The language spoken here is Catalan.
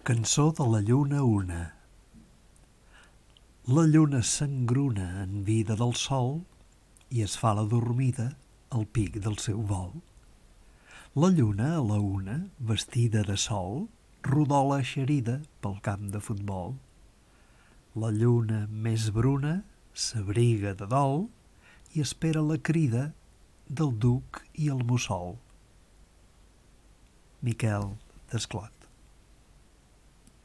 Cançó de la lluna una. La lluna s'engruna en vida del sol i es fa la dormida al pic del seu vol. La lluna a la una, vestida de sol, rodola eixerida pel camp de futbol. La lluna més bruna s'abriga de dol i espera la crida del duc i el mussol. Miquel Desclot.